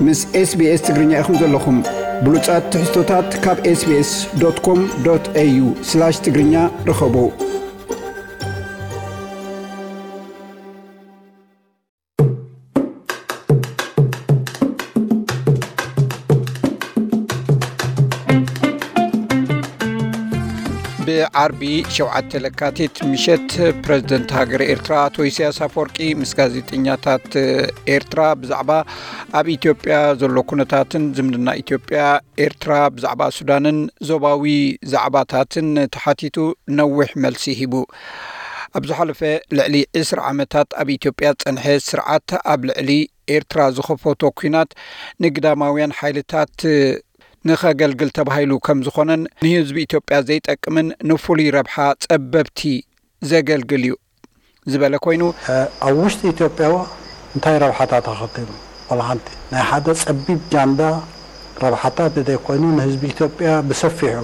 ምስ SBS ትግርኛ ኢኹም ዘለኹም። ብሉጻት ትሕዝቶታት ካብ SBS.com.au/ትግርኛ ርኸቡ። ብዓርቢ ሸውዓተ ለካቲት ምሸት ፕረዚደንት ሃገረ ኤርትራ ኣቶ ኢሳያስ ኣፈወርቂ ምስ ጋዜጠኛታት ኤርትራ ብዛዕባ ኣብ ኢትዮጵያ ዘሎ ኩነታትን ዝምድና ኢትዮጵያ ኤርትራ ብዛዕባ ሱዳንን ዞባዊ ዛዕባታትን ተሓቲቱ ነዊሕ መልሲ ሂቡ። ኣብ ዝሓለፈ ልዕሊ ዕስራ ዓመታት ኣብ ኢትዮጵያ ዝጸንሐ ስርዓት ኣብ ልዕሊ ኤርትራ ዝኸፈቶ ኲናት ንግዳማውያን ሓይልታት ንኸገልግል ተባሂሉ ከም ዝኾነን ንህዝቢ ኢትዮጵያ ዘይጠቅምን ንፍሉይ ረብሓ ጸበብቲ ዘገልግል እዩ ዝበለ ኮይኑ፣ ኣብ ውሽጢ ኢትዮጵያ እንታይ ረብሓታት ኣኸቲሉ? ዋላ ሓንቲ ናይ ሓደ ጸቢብ ጃንዳ ረብሓታት ዘይኮይኑ ንህዝቢ ኢትዮጵያ ብሰፊሑ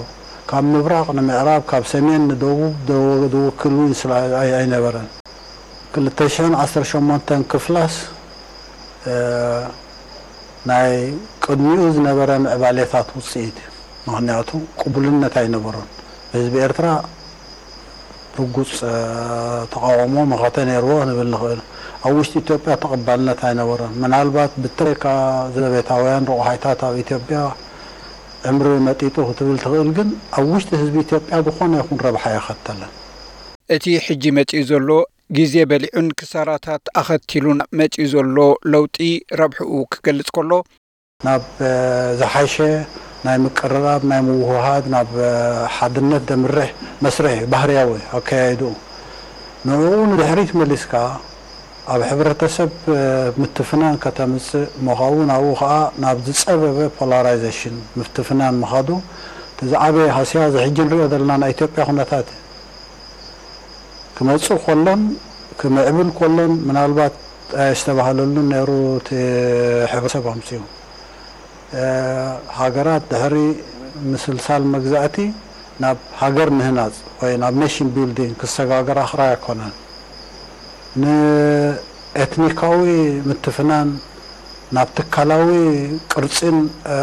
ካብ ምብራቕ ንምዕራብ ካብ ሰሜን ንደቡብ ደወ- ዝውክል እውን ስለ ኣይ- ኣይነበረን። ክልተ ሽሕን ዓሰርተ ሸሞንተን ክፍላስ ናይ ቅድሚኡ ዝነበረ ምዕባሌታት ውፅኢት እዩ። ምክንያቱ ቅቡልነት ኣይነበሮን። ህዝቢ ኤርትራ ርጉፅ ተቃውሞ መኸተ ነይርዎ ንብል ንኽእል። ኣብ ውሽጢ ኢትዮጵያ ተቐባልነት ኣይነበሮን። ምናልባት ብተለይካ ዘለቤታውያን ረቑሓይታት ኣብ ኢትዮጵያ ዕምሪ መጢጡ ክትብል ትኽእል፣ ግን ኣብ ውሽጢ ህዝቢ ኢትዮጵያ ዝኾነ ይኹን ረብሓ የኸተለን። እቲ ሕጂ መጺኡ ዘሎ ግዜ በሊዑን ክሳራታት ኣኸቲሉን መጺኡ ዘሎ ለውጢ ረብሕኡ ክገልጽ ከሎ፣ ናብ ዝሓሸ ናይ ምቅርራብ፣ ናይ ምውህሃድ፣ ናብ ሓድነት ደምርሕ መስርሕ ባህርያዊ ኣከያይድኡ። ንዕኡ ንድሕሪት መሊስካ ኣብ ሕብረተሰብ ምትፍናን ከተምጽእ ምዃኑ፣ ናብኡ ኸኣ ናብ ዝጸበበ ፖላራይዜሽን ምትፍናን ምኻዱ እቲ ዝዓበየ ሃስያ እዚ ሕጂ ንሪኦ ዘለና ናይ ኢትዮጵያ ኩነታት እዩ። ክመጽኡ ከሎን ክምዕብል ከሎን ምናልባት ኣየስተባህለሉን ነይሩ እቲ ሕብረተሰብ ኣምጺኡ። ሃገራት ድሕሪ ምስልሳል መግዛእቲ ናብ ሃገር ምህናጽ ወይ ናብ ኔሽን ቢልዲንግ ክሰጋገራ ክራይ ኣይኮነን። ንኤትኒካዊ ምትፍናን ናብ ትካላዊ ቅርጺን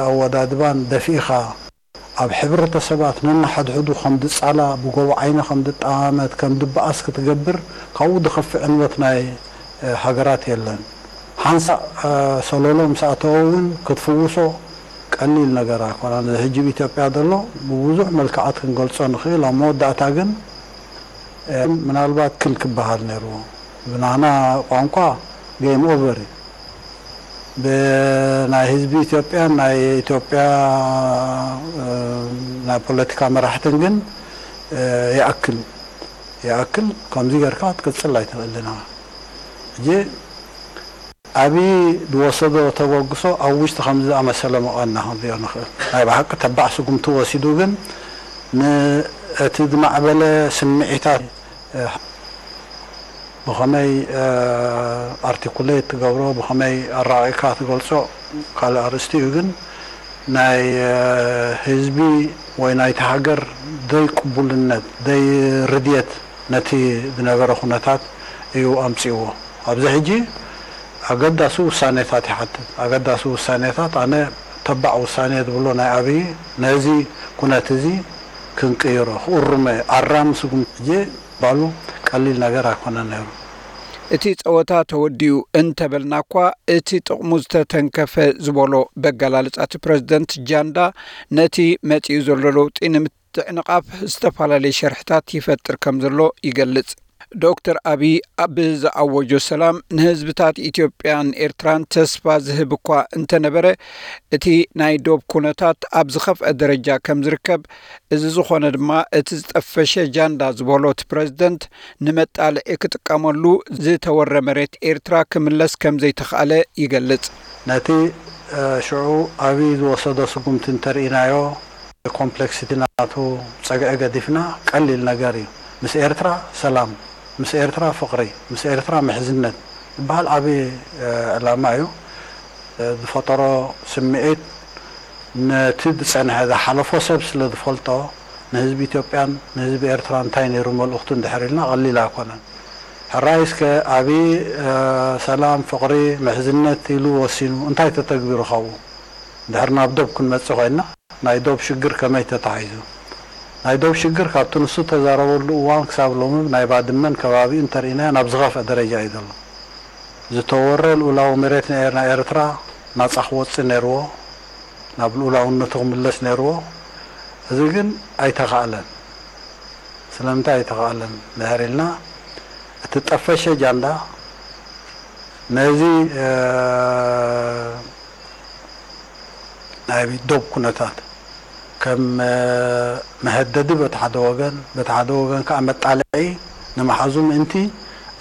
ኣወዳድባን ደፊእኻ ኣብ ሕብረተሰባት ነንሓድሕዱ ከም ድጻላ፣ ብጎቦ ዓይኒ ከም ድጠማመት፣ ከም ድበኣስ ክትገብር ካብኡ ድኸፍእ ዕንወት ናይ ሃገራት የለን። ሓንሳእ ሰሎሎ ምስ ኣተወ እውን ክትፍውሶ ቀሊል ነገር ኣይኮነን። እዚ ሕጂ ኣብ ኢትዮጵያ ዘሎ ብብዙሕ መልክዓት ክንገልጾ ንኽእል። ኣብ መወዳእታ ግን ምናልባት ክል ክበሃል ነይርዎ። ብናና ቋንቋ ጌም ኦቨር እዩ። ብናይ ህዝቢ ኢትዮጵያን ናይ ኢትዮጵያ ናይ ፖለቲካ መራሕትን ግን ይኣክል ይኣክል ከምዚ ጌርካ ክትቅጽል ኣይትኽእልን ኢኻ። ሕጂ ኣብይ ዝወሰዶ ተበግሶ ኣብ ውሽጢ ከምዚ ዝኣመሰለ መቐና ክንሪኦ ንኽእል። ናይ ብሓቂ ተባዕ ስጉምቲ ወሲዱ ግን ነቲ ዝማዕበለ ስምዒታት ብኸመይ ኣርቲኩሌት ትገብሮ፣ ብኸመይ ኣራቒቕካ ትገልጾ ካልእ ኣርእስቲ እዩ። ግን ናይ ህዝቢ ወይ ናይቲ ሃገር ዘይቅቡልነት፣ ዘይርድየት ነቲ ዝነበረ ኩነታት እዩ ኣምጺእዎ። ኣብዚ ሕጂ ኣገዳሲ ውሳኔታት ይሓትት። ኣገዳሲ ውሳኔታት፣ ኣነ ተባዕ ውሳኔ ዝብሎ ናይ ኣብይ ነዚ ኩነት እዚ ክንቅይሮ፣ ክእርሞ፣ ኣራሚ ስጉምቲ ሕጂ ባሉ ቀሊል ነገር ኣይኮነን ነይሩ። እቲ ጸወታ ተወዲኡ እንተበልና እኳ፣ እቲ ጥቕሙ ዝተተንከፈ ዝበሎ በገላልጻ እቲ ፕረዚደንት ጃንዳ፣ ነቲ መጺኡ ዘሎ ለውጢ ንምትዕንቓፍ ዝተፈላለየ ሸርሕታት ይፈጥር ከም ዘሎ ይገልጽ። ዶክተር ኣብይ ኣብ ዝኣወጆ ሰላም ንህዝብታት ኢትዮጵያን ኤርትራን ተስፋ ዝህብ እኳ እንተነበረ፣ እቲ ናይ ዶብ ኩነታት ኣብ ዝኸፍአ ደረጃ ከም ዝርከብ፣ እዚ ዝኾነ ድማ እቲ ዝጠፈሸ ጃንዳ ዝበሎ እቲ ፕረዚደንት ንመጣልዒ ክጥቀመሉ ዝተወረ መሬት ኤርትራ ክምለስ ከም ዘይተኽኣለ ይገልጽ። ነቲ ሽዑ ኣብይ ዝወሰዶ ስጉምቲ እንተርኢናዮ፣ ኮምፕሌክሲቲ ናቱ ጸግዒ ገዲፍና ቀሊል ነገር እዩ። ምስ ኤርትራ ሰላም፣ ምስ ኤርትራ ፍቕሪ፣ ምስ ኤርትራ ምሕዝነት ዝበሃል ዓቢ ዕላማ እዩ። ዝፈጠሮ ስምዒት ነቲ ዝጸንሐ ዝሓለፎ ሰብ ስለ ዝፈልጦ፣ ንህዝቢ ኢትዮጵያን ንህዝቢ ኤርትራ እንታይ ነይሩ መልእኽቱ እንድሕር ኢልና ቀሊል ኣይኮነን። ራእይ እስከ ኣብይ ሰላም፣ ፍቕሪ፣ ምሕዝነት ኢሉ ወሲኑ እንታይ ተተግቢሩ? ካብኡ ድሕር ናብ ዶብ ክንመጽእ ኮይና ናይ ዶብ ሽግር ከመይ ተታሒዙ? ናይ ዶብ ሽግር ካብቲ ንሱ ተዛረበሉ እዋን ክሳብ ሎሚ ናይ ባድመን ከባቢኡ እንተርኢናዮ ናብ ዝኸፍአ ደረጃ እዩ ዘሎ። ዝተወረ ልኡላዊ መሬት ናይ ኤርትራ ናጻ ክወጽእ ነይርዎ፣ ናብ ልኡላውነቱ ክምለስ ነይርዎ። እዚ ግን ኣይተኻእለን። ስለምንታይ ኣይተኻእለን ድሕር ኢልና እቲ ጠፈሸ ጃንዳ ነዚ ናይ ዶብ ኩነታት ከም መሀደዲ በቲ ሓደ ወገን፣ በቲ ሓደ ወገን ከዓ መጣልዒ ንምሓዙ ምእንቲ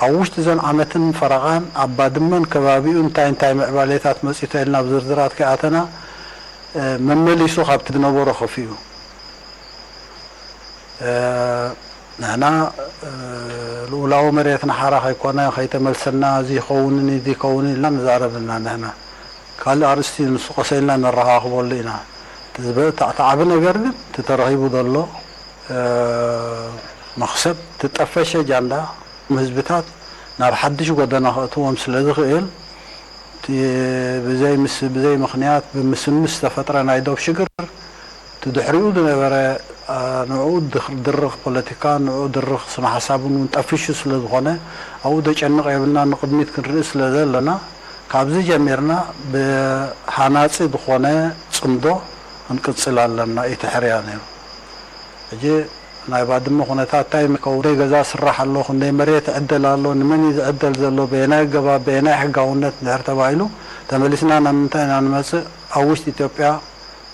ኣብ ውሽጢ ዘን ዓመትን ፈረቓን ኣብ ባድመን ከባቢኡ እንታይ እንታይ ምዕባሌታት መፂኡ ተልና ብዝርዝራት ከይኣተና መመሊሱ ካብቲ ዝነበሮ ከፊኡ ንሕና ልኡላዊ መሬትና ሓራ ከይኮነ ከይተመልሰና እዚ ይኸውንን እዚ ይከውንን ኢልና ንዛረብ ኢና። ንሕና ካልእ ኣርእስቲ ንሱ ቀሰ ኢልና ነረኻኽበሉ ኢና። እቲ ዝበ- እቲ ዓቢ ነገር ግን እቲ ተረኺቡ ዘሎ መኽሰብ፣ እቲ ጠፈሸ ጃንዳ ህዝብታት ናብ ሓድሽ ጎደና ከእትዎም ስለ ዝኽእል፣ እቲ ብዘይ ምስ- ብዘይ ምኽንያት ብምስምስ ዝተፈጥረ ናይ ዶብ ሽግር እቲ ድሕሪኡ ዝነበረ ንዕኡ ድርኽ ፖለቲካ ንዕኡ ድርኽ ስነ ሓሳብን እውን ጠፊሹ ስለ ዝኾነ ኣብኡ ደጨንቕ የብልና ንቕድሚት ክንርኢ ስለ ዘለና ካብዚ ጀሚርና ብሃናጺ ዝኾነ ጽምዶ ክንቅጽል ኣለና እዩ እቲ ሕርያ ነይሩ። ሕጂ ናይ ባድመ ኩነታት እንታይ ምከው ደይ ገዛ ስራሕ ኣሎ ክንደይ መሬት ዕደል ኣሎ ንመን እዩ ዝዕደል ዘሎ በየናይ ኣገባብ በየናይ ሕጋውነት እንድሕር ተባሂሉ ተመሊስና ናብ ምንታይ ኢና ንመጽእ ኣብ ውሽጢ ኢትዮጵያ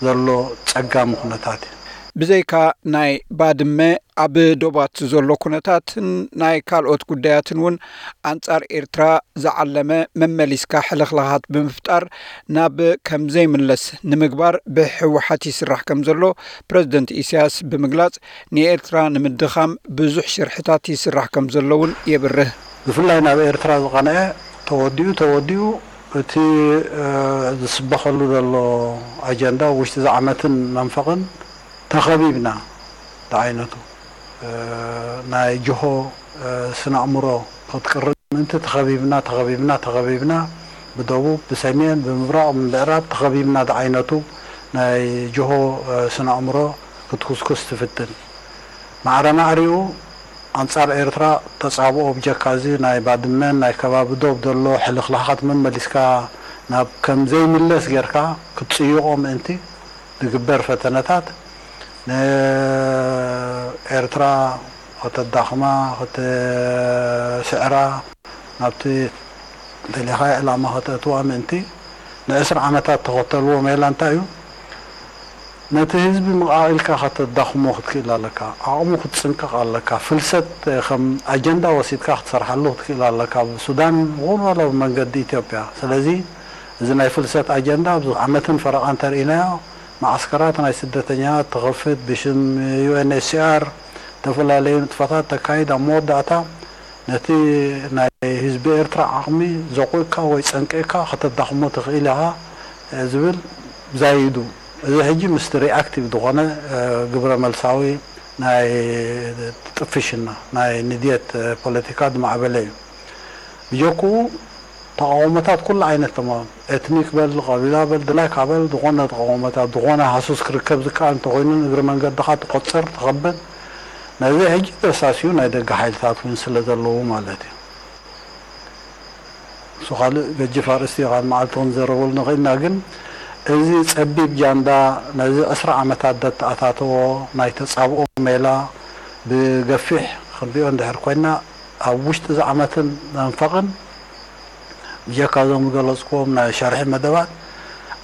ዘሎ ጸጋሚ ኩነታት እዩ። ብዘይካ ናይ ባድመ ኣብ ዶባት ዘሎ ኩነታትን ናይ ካልኦት ጉዳያትን እውን ኣንጻር ኤርትራ ዝዓለመ መመሊስካ ሕልኽላኻት ብምፍጣር ናብ ከም ዘይምለስ ንምግባር ብህወሓት ይስራሕ ከም ዘሎ ፕረዚደንት ኢሳያስ ብምግላጽ ንኤርትራ ንምድኻም ብዙሕ ሽርሕታት ይስራሕ ከም ዘሎ እውን የብርህ። ብፍላይ ናብ ኤርትራ ዝቐንዐ ተወዲኡ ተወዲኡ እቲ ዝስበኸሉ ዘሎ ኣጀንዳ ውሽጢ ዝዓመትን መንፈቕን ተኸቢብና ዝዓይነቱ ናይ ጅሆ ስነ ኣእምሮ ክትቅርብ ምእንቲ ተኸቢብና ተኸቢብና ተኸቢብና ብደቡብ ብሰሜን ብምብራቕ ብምዕራብ ተኸቢብና ዝዓይነቱ ናይ ጅሆ ስነ ኣእምሮ ክትኩስኩስ ትፍትን። ማዕረ ማዕሪኡ ኣንጻር ኤርትራ ተጻብኦ ብጀካ እዚ ናይ ባድመን ናይ ከባቢ ዶብ ዘሎ ሕልኽላኻት መመሊስካ ናብ ከም ዘይምለስ ጌርካ ክትጽይቖ ምእንቲ ዝግበር ፈተነታት ንኤርትራ ከተዳኽማ ክትስዕራ ናብቲ ደሊኻዮ ዕላማ ከተእትዋ ምእንቲ ንዕስራ ዓመታት ተኸተልዎ ሜላ እንታይ እዩ? ነቲ ህዝቢ ምቓቕ ኢልካ ከተዳኽሞ ክትክእል ኣለካ። ዓቕሙ ክትጽንቅቕ ኣለካ። ፍልሰት ከም ኣጀንዳ ወሲድካ ክትሰርሓሉ ክትክእል ኣለካ። ብሱዳን ይኹን ዋላ ብመንገዲ ኢትዮጵያ። ስለዚ እዚ ናይ ፍልሰት ኣጀንዳ ኣብዚ ዓመትን ፈረቓን ተርኢናዮ። መዓስከራት ናይ ስደተኛታት ትኸፍት፣ ብሽም ዩ ኤን ኤች ሲ ኣር ዝተፈላለዩ ንጥፈታት ተካይድ፣ ኣብ መወዳእታ ነቲ ናይ ህዝቢ ኤርትራ ዓቕሚ ዘቑእካ ወይ ጸንቂቕካ ከተዳኽሞ ትኽእል ኢኻ ዝብል ዛይዱ። እዚ ሕጂ ምስቲ ሪኣክቲቭ ዝኾነ ግብረ መልሳዊ ናይ ጥፍሽና ናይ ንድየት ፖለቲካ ዝማዕበለ እዩ። ብጀክኡ ተቓውሞታት ኩሉ ዓይነት ተማም ኤትኒክ በል ቀቢላ በል ድላይካ በል ዝኾነ ተቓውሞታት ዝኾነ ሃሱስ ክርከብ ዝከኣል እንተኾይኑ ንእግሪ መንገድኻ ትቆጽር ትኸብድ ነዚ ሕጂ ተሳስዩ ናይ ደገ ሓይልታት እውን ስለ ዘለዉ ማለት እዩ። እሱ ካልእ ገጅፍ ኣርእስቲ እዩ ካብ መዓልቲ ክንዘረበሉ ንኽእልና ግን እዚ ጸቢብ ጃንዳ ነዚ ዕስራ ዓመታት ዘተኣታተዎ ናይ ተጻብኦ ሜላ ብገፊሕ ክንሪኦ እንድሕር ኮይና ኣብ ውሽጢ እዚ ዓመትን መንፈቕን ብጀካ እዞም ዝገለፅክዎም ናይ ሸርሒ መደባት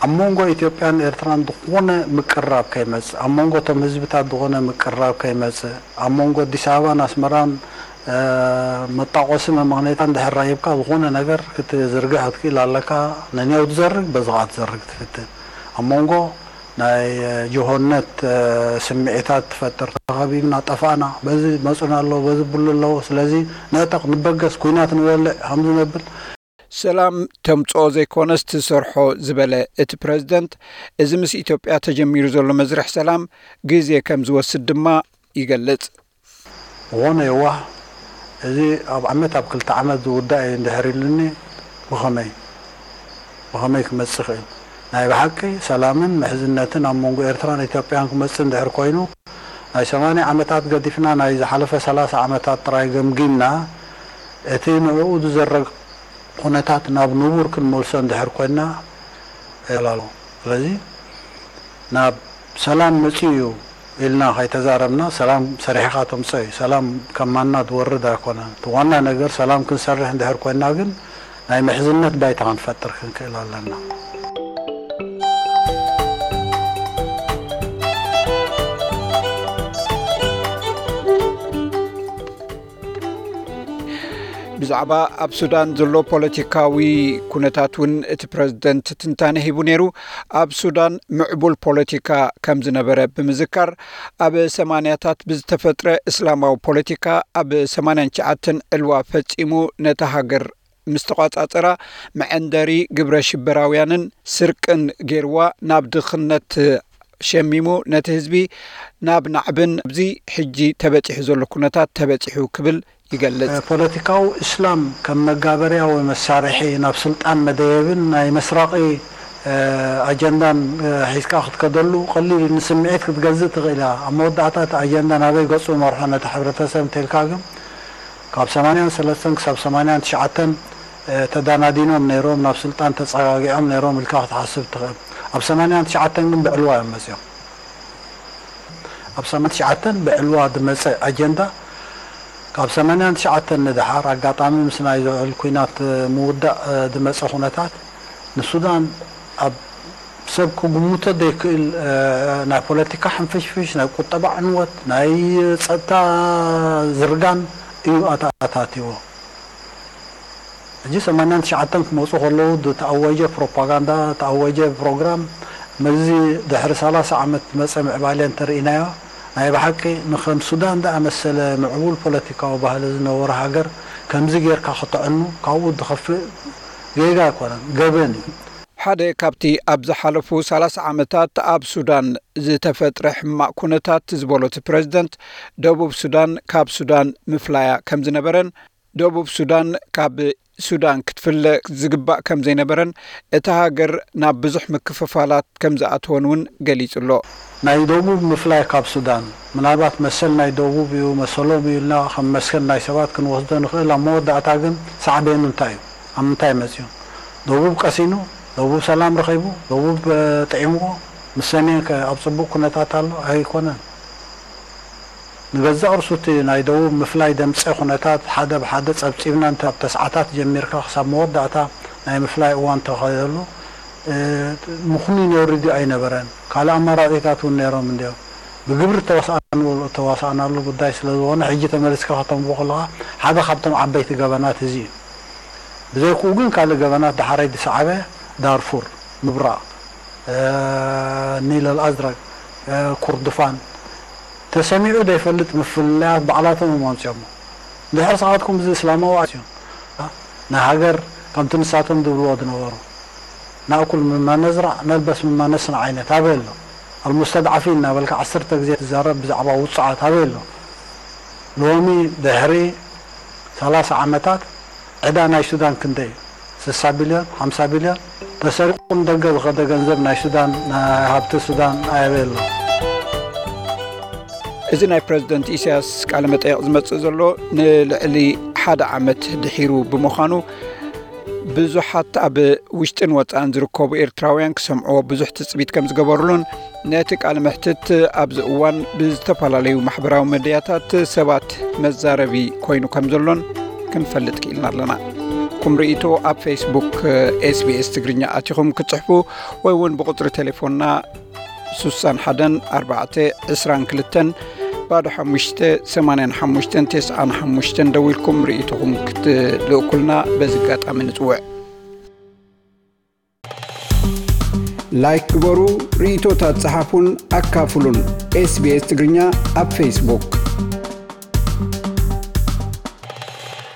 ኣብ መንጎ ኢትዮጵያን ኤርትራን ዝኾነ ምቅርራብ ከይመፅእ ኣብ መንጎ እቶም ህዝብታት ዝኾነ ምቅርራብ ከይመፅእ ኣብ መንጎ ኣዲስ ኣበባን ኣስመራን መጣቆሲ መመቕኔታ እንድሕር ራሂብካ ዝኾነ ነገር ክትዝርግሕ ክትክእል ኣለካ። ነንያው ትዘርግ በዚ ከዓ ትዘርግ ትፍትን ኣብ መንጎ ናይ ጅሆነት ስምዒታት ትፈጥር። ተኸቢብና ጠፋእና፣ በዚ መፁና ኣለዉ፣ በዚ ብሉ ኣለዉ፣ ስለዚ ንዕጠቕ፣ ንበገስ፣ ኲናት ንበልዕ ከምዚ ነብል። ሰላም ተምፅኦ ዘይኮነስ ትሰርሖ ዝበለ እቲ ፕረዚደንት፣ እዚ ምስ ኢትዮጵያ ተጀሚሩ ዘሎ መዝርሕ ሰላም ግዜ ከም ዝወስድ ድማ ይገልፅ። ዝኾነ የዋህ እዚ ኣብ ዓመት ኣብ ክልተ ዓመት ዝውዳእ እዩ እንድሕር ኢሉኒ፣ ብኸመይ ብኸመይ ክመጽእ ይኽእል? ናይ ብሓቂ ሰላምን ምሕዝነትን ኣብ መንጎ ኤርትራን ኢትዮጵያን ክመጽእ እንድሕር ኮይኑ፣ ናይ ሰማንያ ዓመታት ገዲፍና ናይ ዝሓለፈ ሰላሳ ዓመታት ጥራይ ገምጊምና፣ እቲ ንዕኡ ዝዘረግ ኩነታት ናብ ንቡር ክንመልሶ እንድሕር ኮይንና፣ የላሎ። ስለዚ ናብ ሰላም መጺኡ እዩ ኢልና ከይተዛረብና፣ ሰላም ሰሪሕኻ ተምጽኦ እዩ። ሰላም ከም ማና ዝወርድ ኣይኮነን። እቲ ዋና ነገር ሰላም ክንሰርሕ እንድሕር ኮይንና ግን ናይ ምሕዝነት ባይታ ክንፈጥር ክንክእል ኣለና። ብዛዕባ ኣብ ሱዳን ዘሎ ፖለቲካዊ ኩነታት እውን እቲ ፕረዚደንት ትንታነ ሂቡ ነይሩ። ኣብ ሱዳን ምዕቡል ፖለቲካ ከም ዝነበረ ብምዝካር፣ ኣብ ሰማንያታት ብዝተፈጥረ እስላማዊ ፖለቲካ ኣብ ሰማንያን ትሽዓተን ዕልዋ ፈጺሙ ነታ ሃገር ምስ ተቋጻጸራ፣ መዐንደሪ ግብረ ሽበራውያንን ስርቅን ገይርዋ ናብ ድኽነት ሸሚሙ ነቲ ህዝቢ ናብ ናዕብን ኣብዚ ሕጂ ተበጺሑ ዘሎ ኩነታት ተበጺሑ ክብል ይገልጽ። ፖለቲካዊ እስላም ከም መጋበርያ ወይ መሳርሒ ናብ ስልጣን መደየብን ናይ መስራቒ ኣጀንዳን ሒዝካ ክትከደሉ ቀሊል እዩ። ንስምዒት ክትገዝእ ትኽእል እያ። ኣብ መወዳእታ እቲ ኣጀንዳ ናበይ ገጹ መርሖ ነቲ ሕብረተሰብ እንተልካ ግን ካብ ሰማንያን ሰለስተን ክሳብ ሰማንያን ትሽዓተን ተዳናዲኖም ነይሮም፣ ናብ ስልጣን ተጸጋጊዖም ነይሮም ኢልካ ክትሓስብ ትኽእል። ኣብ ሰማንያን ትሽዓተን ግን ብዕልዋ እዮም መጺኦም። ኣብ ሰማንያን ትሽዓተን ብዕልዋ ዝመጸ ኣጀንዳ ካብ ሰማንያን ትሽዓተን ንደሓር ኣጋጣሚ ምስ ናይ ዝውዕል ኲናት ምውዳእ ዝመጸ ኩነታት ንሱዳን ኣብ ሰብ ክግምቶ ዘይክእል ናይ ፖለቲካ ሕንፍሽፍሽ፣ ናይ ቁጠባ ዕንወት፣ ናይ ጸጥታ ዝርጋን እዩ ኣተኣታትይዎ። ሕጂ ሰማንያን ትሽዓተን ክመፁ ከለዉ ዝተኣወጀ ፕሮፓጋንዳ፣ ዝተኣወጀ ፕሮግራም ምስዚ ድሕሪ ሰላሳ ዓመት ዝመፀ ምዕባለ እንተርኢናዮ ናይ ብሓቂ ንከም ሱዳን ዝኣመሰለ ምዕቡል ፖለቲካዊ ባህሊ ዝነበሮ ሃገር ከምዚ ጌርካ ክተዕኑ ካብኡ ዝኸፍእ ጌጋ ኣይኮነን፣ ገበን እዩ። ሓደ ካብቲ ኣብ ዝሓለፉ ሰላሳ ዓመታት ኣብ ሱዳን ዝተፈጥረ ሕማቕ ኩነታት ዝበሎ እቲ ፕረዚደንት፣ ደቡብ ሱዳን ካብ ሱዳን ምፍላያ ከም ዝነበረን ደቡብ ሱዳን ካብ ሱዳን ክትፍለ ዝግባእ ከም ዘይነበረን እታ ሃገር ናብ ብዙሕ ምክፍፋላት ከም ዝኣተወን እውን ገሊጹ ኣሎ። ናይ ደቡብ ምፍላይ ካብ ሱዳን ምናልባት መሰል ናይ ደቡብ እዩ መሰሎም እዩ ኢልና ከም መስከን ናይ ሰባት ክንወስዶ ንኽእል። ኣብ መወዳእታ ግን ሳዕቤኑ እንታይ እዩ? ኣብ ምንታይ መጺኡ? ደቡብ ቀሲኑ፣ ደቡብ ሰላም ረኺቡ፣ ደቡብ ጥዒምዎ፣ ምስ ሰሜን ከ ኣብ ጽቡቕ ኩነታት ኣሎ? ኣይኮነን። ንገዛእ ርእሱ እቲ ናይ ደቡብ ምፍላይ ደምጸ ኩነታት ሓደ ብሓደ ጸብጺብና እንተ ኣብ ተስዓታት ጀሚርካ ክሳብ መወዳእታ ናይ ምፍላይ እዋን ተኸደሉ ምኹኒ ነውሪ ድዩ ኣይነበረን? ካልእ ኣማራጺታት እውን ነይሮም እንድዮም። ብግብሪ ተዋሳእናሉ ጉዳይ ስለ ዝኾነ ሕጂ ተመሊስካ ከተንብቦ ከለኻ ሓደ ካብቶም ዓበይቲ ገበናት እዚ እዩ። ብዘይክኡ ግን ካልእ ገበናት ዳሕራይ ዝሰዓበ ዳርፉር ምብራቕ፣ ኒል ኣልኣዝረግ፣ ኩርዱፋን ተሰሚዑ ዘይፈልጥ ምፍልላያት ባዕላቶም እዮም ኣምፅኦሞ። እንድሕር ስኻትኩም እዚ እስላማዊ ኣስዮም ናይ ሃገር ከምቲ ንሳቶም ዝብልዎ ዝነበሩ ናእኩል ምማ ነዝራዕ ነልበስ ምማ ነስንዕ ዓይነት ኣበይ ኣሎ? ኣልሙስተድዓፊን እናበልካ ዓሰርተ ግዜ ትዛረብ ብዛዕባ ውፅዓት ኣበይ ኣሎ? ሎሚ ድሕሪ ሰላሳ ዓመታት ዕዳ ናይ ሱዳን ክንደይ እዩ? ስሳ ቢልዮን፣ ሓምሳ ቢልዮን ተሰሪቑ ንደገ ዝኸደ ገንዘብ ናይ ሱዳን፣ ናይ ሃብቲ ሱዳን ኣበይ ኣሎ? እዚ ናይ ፕረዚደንት ኢሳያስ ቃለ መጠየቕ ዝመጽእ ዘሎ ንልዕሊ ሓደ ዓመት ድሒሩ ብምዃኑ ብዙሓት ኣብ ውሽጥን ወጻእን ዝርከቡ ኤርትራውያን ክሰምዕዎ ብዙሕ ትጽቢት ከም ዝገበሩሉን ነቲ ቃለ መሕትት ኣብዚ እዋን ብዝተፈላለዩ ማሕበራዊ መድያታት ሰባት መዛረቢ ኮይኑ ከም ዘሎን ክንፈልጥ ክኢልና ኣለና። ኩም ርእይቶ ኣብ ፌስቡክ ኤስቢኤስ ትግርኛ ኣቲኹም ክትጽሕፉ ወይ እውን ብቁጽሪ ቴሌፎንና ሱሳን ሓደን ኣርባዕተ ዕስራን ክልተን ባዶ ሓሙሽተ ሰማንያን ሓሙሽተን ተስዓን ሓሙሽተን ደዊልኩም ርእይቶኹም ክትልእኩልና በዚ ኣጋጣሚ ንጽውዕ። ላይክ ግበሩ፣ ርእይቶታት ጸሓፉን ኣካፍሉን። ኤስቢኤስ ትግርኛ ኣብ ፌስቡክ።